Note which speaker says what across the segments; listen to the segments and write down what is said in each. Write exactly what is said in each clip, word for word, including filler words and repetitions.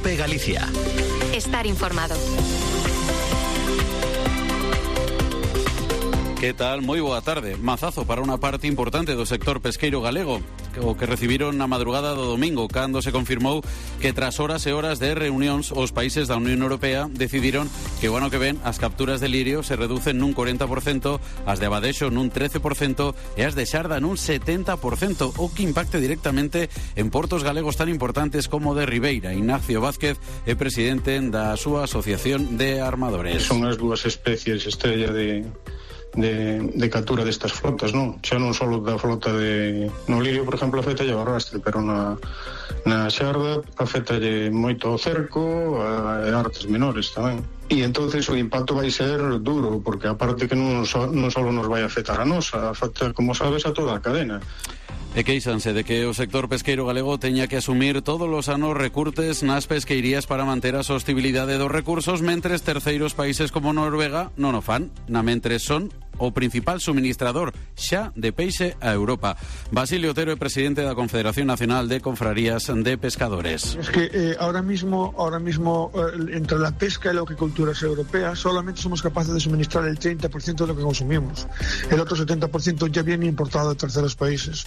Speaker 1: COPE Galicia.
Speaker 2: Estar informado.
Speaker 3: Que tal? Moi boa tarde. Mazazo para unha parte importante do sector pesqueiro galego, o que recibiron na madrugada do domingo, cando se confirmou que tras horas e horas de reunións os países da Unión Europea decidiron que o ano que ven as capturas de lirio se reducen nun cuarenta por ciento, as de abadexo nun trece por ciento e as de xarda nun setenta por ciento, o que impacte directamente en portos galegos tan importantes como de Ribeira. Ignacio Vázquez é presidente da súa asociación de armadores.
Speaker 4: Son as dúas especies estrella de... De, de captura destas flotas, non? Xa non só da flota de... No lirio, por exemplo, afectalle o arrastre, pero na, na xarda afectalle moito o cerco e artes menores tamén. E entonces o impacto vai ser duro, porque aparte que non só, non só nos vai afectar a nos, afecta, como sabes, a toda a cadena.
Speaker 3: E queixanse de que o sector pesqueiro galego teña que asumir todos os anos recurtes nas pesqueirías para manter a sostibilidade dos recursos, mentres terceiros países como Noruega non o fan, na mentres son o principal suministrador xa de peixe a Europa. Basilio Otero é presidente da Confederación Nacional de Confrarías de Pescadores.
Speaker 5: Es que eh, ahora mismo, ahora mismo eh, entre la pesca y la acuicultura europea solamente somos capaces de suministrar el treinta por ciento de lo que consumimos. El otro setenta por ciento ya viene importado de terceros países.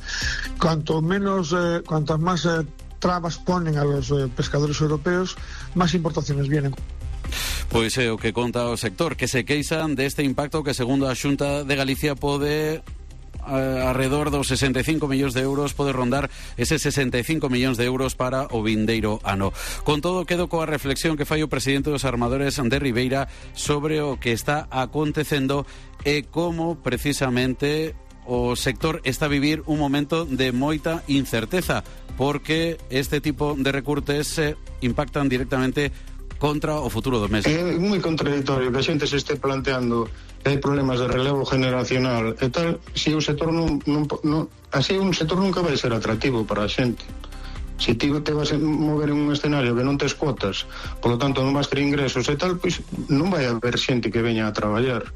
Speaker 5: Cuanto menos, eh, cuantas más eh, trabas ponen a los eh, pescadores europeos, más importaciones vienen.
Speaker 3: Pois é o que conta o sector, que se queixan deste impacto que, segundo a Xunta de Galicia, pode alrededor dos sesenta e cinco millóns de euros, pode rondar ese sesenta e cinco millóns de euros para o vindeiro ano. Con todo, quedo coa reflexión que fai o presidente dos armadores de Ribeira sobre o que está acontecendo e como precisamente o sector está a vivir un momento de moita incerteza, porque este tipo de recortes eh, impactan directamente contra o futuro do mes.
Speaker 4: É moi contradictorio que a xente se este planteando que hai problemas de relevo generacional e tal, se o sector non, non, non así un sector nunca vai ser atractivo para a xente. Se ti te vas a mover en un escenario que non tes cuotas, polo tanto non vas ter ingresos e tal, pois non vai haber xente que veña a traballar.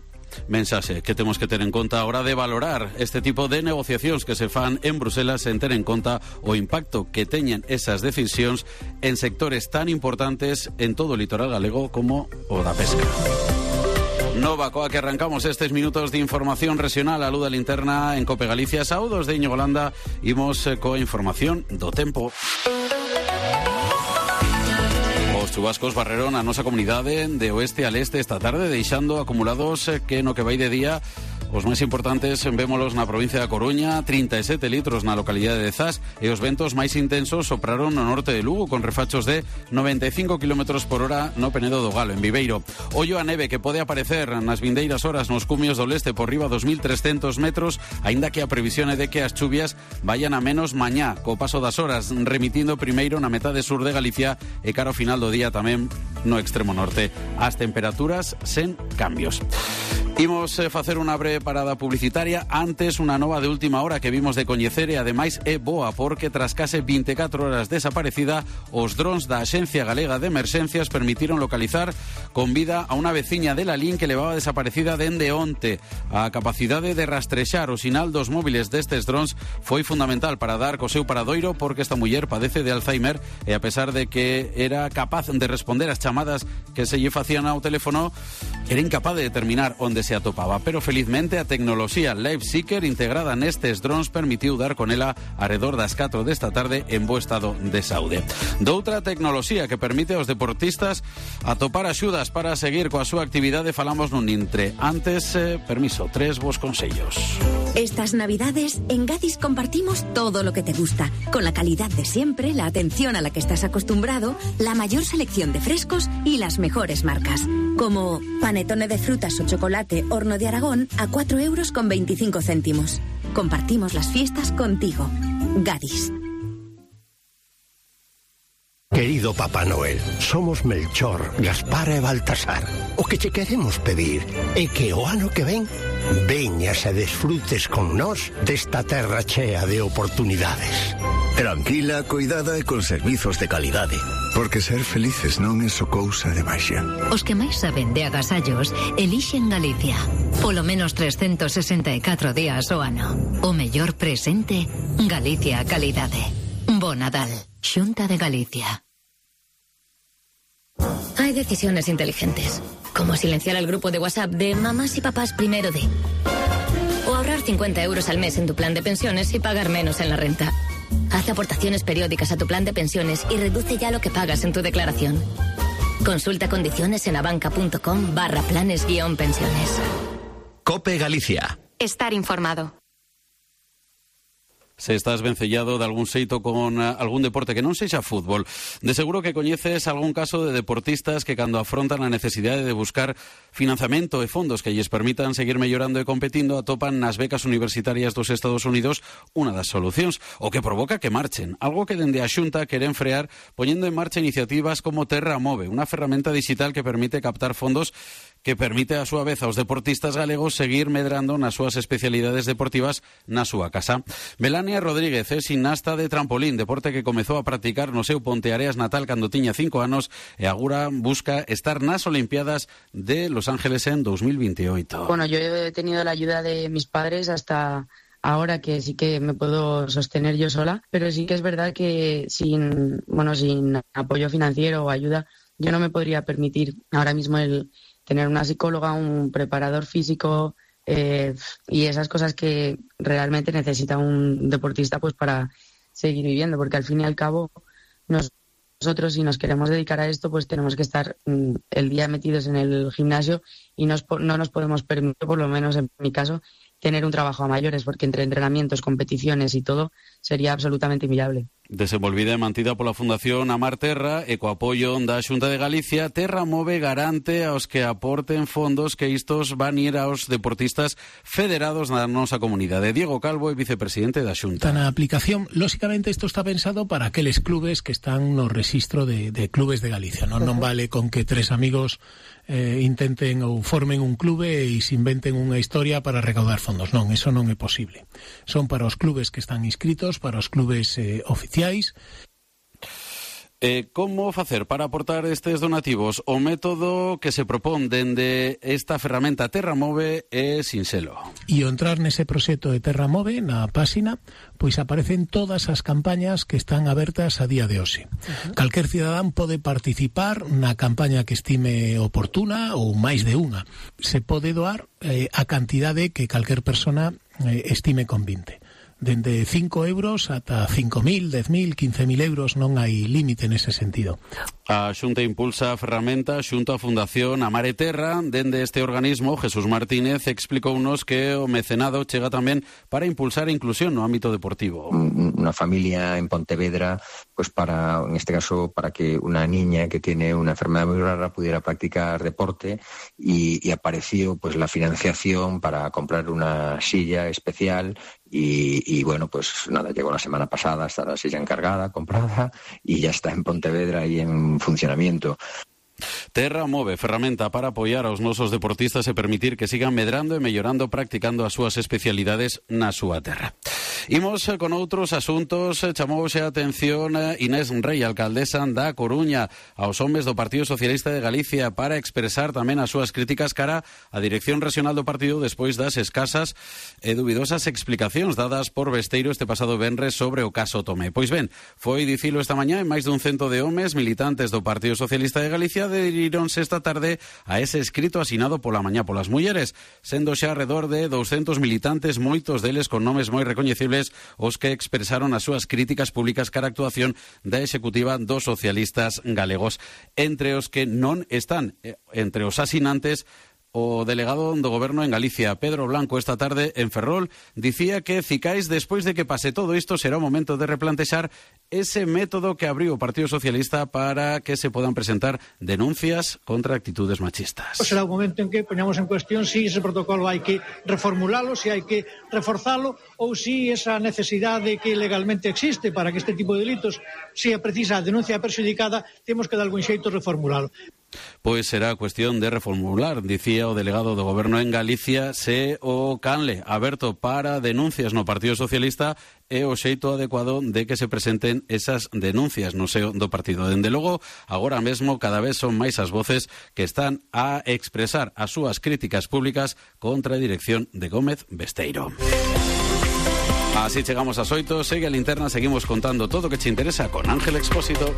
Speaker 3: Mensaxe que temos que ter en conta a hora de valorar este tipo de negociacións que se fan en Bruselas, en ter en conta o impacto que teñen esas decisións en sectores tan importantes en todo o litoral galego como o da pesca. Nova coa que arrancamos estes minutos de información regional a luz da linterna en Cope Galicia. Saúdos de Íñigo Landa, imos coa información do tempo. Os chubascos barreron a nosa comunidade de oeste a leste esta tarde, deixando acumulados que no que vai de día os máis importantes vémolos na provincia da Coruña, trinta e sete litros na localidade de Zas, e os ventos máis intensos sopraron no norte de Lugo con refachos de noventa e cinco kilómetros por hora no Penedo do Galo, en Viveiro. Ollo a neve que pode aparecer nas vindeiras horas nos cumios do leste por riba dos mil trescentos metros, aínda que a previsión é de que as chuvias vayan a menos mañá, co paso das horas, remitindo primeiro na metade sur de Galicia e cara ao final do día tamén no extremo norte. As temperaturas sen cambios. Imos eh, facer unha breve parada publicitaria. Antes, unha nova de última hora que vimos de coñecer e ademais é boa porque tras case vinte e catro horas desaparecida, os drons da Axencia Galega de Emerxencias permitiron localizar con vida a unha veciña de Lalín que levaba desaparecida dende onte. A capacidade de rastrexar o sinal dos móviles destes drons foi fundamental para dar co seu paradoiro, porque esta muller padece de Alzheimer e a pesar de que era capaz de responder as chamadas que se lle facían ao teléfono, era incapaz de determinar onde se atopaba, pero felizmente a tecnoloxía LiveSeeker integrada nestes drons permitiu dar con ela arredor das catro desta tarde en bo estado de saúde. Doutra tecnoloxía que permite aos deportistas atopar axudas para seguir coa súa actividade falamos nun intre. Antes, eh, permiso, tres vos consellos.
Speaker 6: Estas navidades en Gadis compartimos todo lo que te gusta, con la calidad de siempre, la atención a la que estás acostumbrado, la mayor selección de frescos y las mejores marcas, como panetone de frutas o chocolate Horno de Aragón a cuatro euros con veinticinco céntimos. Compartimos las fiestas contigo. Gadis.
Speaker 7: Querido Papá Noel, somos Melchor, Gaspar e Baltasar. O que che queremos pedir é que o ano que ven veñas e desfrutes con nós desta terra chea de oportunidades.
Speaker 8: Tranquila, cuidada e con servizos de calidade. Porque ser felices non é só cousa de maxia.
Speaker 9: Os que máis saben de agasallos elixen Galicia. Polo menos trescentos sesenta e catro días ao ano. O mellor presente, Galicia a calidade. Bo Nadal, Xunta de Galicia.
Speaker 1: Hay decisiones inteligentes, como silenciar el grupo de WhatsApp de mamás y papás primero de... O ahorrar cincuenta euros al mes en tu plan de pensiones y pagar menos en la renta. Haz aportaciones periódicas a tu plan de pensiones y reduce ya lo que pagas en tu declaración. Consulta condiciones en abanca.com barra planes guión pensiones.
Speaker 2: COPE Galicia.
Speaker 10: Estar informado.
Speaker 3: Se estás vencellado de algún xeito con uh, algún deporte que non sexa fútbol. De seguro que coñeces algún caso de deportistas que cando afrontan a necesidade de buscar financiamento e fondos que lles permitan seguir mellorando e competindo atopan nas becas universitarias dos Estados Unidos unha das solucións, o que provoca que marchen. Algo que dende a Xunta queren frear poñendo en marcha iniciativas como Terra Move, unha ferramenta digital que permite captar fondos que permite a súa vez aos deportistas galegos seguir medrando nas súas especialidades deportivas na súa casa. Melania Rodríguez é ximnasta de trampolín, deporte que comezou a practicar no seu Ponteareas natal cando tiña cinco anos e agora busca estar nas Olimpiadas de Los Ángeles en dos mil veintiocho.
Speaker 11: Bueno, yo he tenido la ayuda de mis padres hasta ahora, que sí que me puedo sostener yo sola, pero sí que es verdad que sin, bueno, sin apoyo financiero o ayuda yo no me podría permitir ahora mismo el tener una psicóloga, un preparador físico eh, y esas cosas que realmente necesita un deportista pues para seguir viviendo, porque al fin y al cabo nos, nosotros si nos queremos dedicar a esto pues tenemos que estar mm, el día metidos en el gimnasio y nos, no nos podemos permitir, por lo menos en mi caso, tener un trabajo a mayores, porque entre entrenamientos, competiciones y todo sería absolutamente inviable.
Speaker 3: Desenvolvida e mantida pola Fundación Amar Terra e co apoio da Xunta de Galicia, Terra Move garante aos que aporten fondos que istos van ir aos deportistas federados na nosa comunidade. Diego Calvo é vicepresidente da Xunta.
Speaker 12: Na aplicación, lóxicamente, isto está pensado para aqueles clubes que están no rexistro de, de clubes de Galicia. Non, non vale con que tres amigos eh, intenten ou formen un clube e se inventen unha historia para recaudar fondos. Non, eso non é posible. Son para os clubes que están inscritos, para os clubes eh, oficiais.
Speaker 3: Eh, como facer para aportar estes donativos? O método que se propón dende esta ferramenta Terra Move é sinxelo.
Speaker 12: E ao entrar nese proxecto de Terra Move, na páxina, pois aparecen todas as campañas que están abertas a día de hoxe. Uh-huh. Calquer cidadán pode participar na campaña que estime oportuna ou máis de unha. Se pode doar eh, a cantidade que calquer persona eh, estime convinte. Dende cinco euros ata cinco mil, dez mil, quince mil euros, non hai límite nese sentido.
Speaker 3: A Xunta impulsa a ferramenta xunto a Fundación Amar Terra. Dende este organismo, Jesús Martínez explicounos que o mecenado chega tamén para impulsar a inclusión no ámbito deportivo.
Speaker 13: Una familia en Pontevedra, pues para, en este caso, para que una niña que tiene una enfermedad muy rara pudiera practicar deporte y, y apareció pues la financiación para comprar una silla especial. Y, y bueno, pues nada, llegó la semana pasada, está la silla encargada, comprada y ya está en Pontevedra y en funcionamiento.
Speaker 3: Terra Move, ferramenta para apoiar aos nosos deportistas e permitir que sigan medrando e mellorando practicando as súas especialidades na súa terra. Imos con outros asuntos. Chamouse a atención Inés Rei, alcaldesa da Coruña, aos homes do Partido Socialista de Galicia para expresar tamén as súas críticas cara á dirección regional do partido despois das escasas e dubidosas explicacións dadas por Besteiro este pasado venres sobre o caso Tomé. Pois ben, foi dicilo esta mañá en máis dun cento de homes militantes do Partido Socialista de Galicia aderironse esta tarde a ese escrito asinado pola mañá polas mulleres, sendo xa alrededor de doscentos militantes, moitos deles con nomes moi recoñecibles, os que expresaron as súas críticas públicas cara a actuación da executiva dos socialistas galegos. Entre os que non están, entre os asinantes, o delegado do Goberno en Galicia, Pedro Blanco, esta tarde en Ferrol, dicía que Cicais, despois de que pase todo isto, será o momento de replantexar ese método que abriu o Partido Socialista para que se podan presentar denuncias contra actitudes machistas.
Speaker 14: Será o momento en que poñamos en cuestión si ese protocolo hai que reformulalo, si hai que reforzalo, ou si esa necesidade que legalmente existe para que este tipo de delitos sea precisa a denuncia perxudicada, temos que de algún xeito reformulalo.
Speaker 3: Pois será cuestión de reformular, dicía o delegado do Goberno en Galicia, se o canle aberto para denuncias no Partido Socialista é o xeito adecuado de que se presenten esas denuncias no seo do partido. Dende logo, agora mesmo cada vez son máis as voces que están a expresar as súas críticas públicas contra a dirección de Gómez Besteiro. Así chegamos ás oito, segue a linterna, seguimos contando todo o que che interesa con Ángel Expósito.